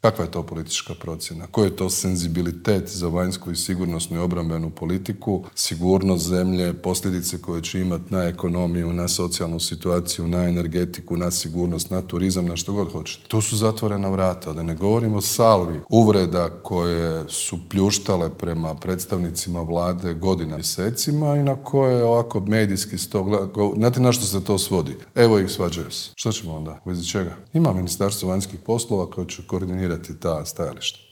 Kakva je to politička procjena? Koji je to senzibilitet za vanjsku i sigurnosnu i obrambenu politiku, sigurnost zemlje, posljedice koje će imati na ekonomiju, na socijalnu situaciju, na energetiku, na sigurnost, na turizam, na što god hoćete. Tu su zatvorena vrata, da ne govorimo o salvi uvreda koje su pljuštale prema predstavnicima vlade godina, mjesecima i na koje ovako medijski znate na što se to svodi? Evo ih, svađaju se. Što ćemo onda? U vezi čega? Ima Ministarstvo vanjskih poslova koje će koordinirati ta stajališta.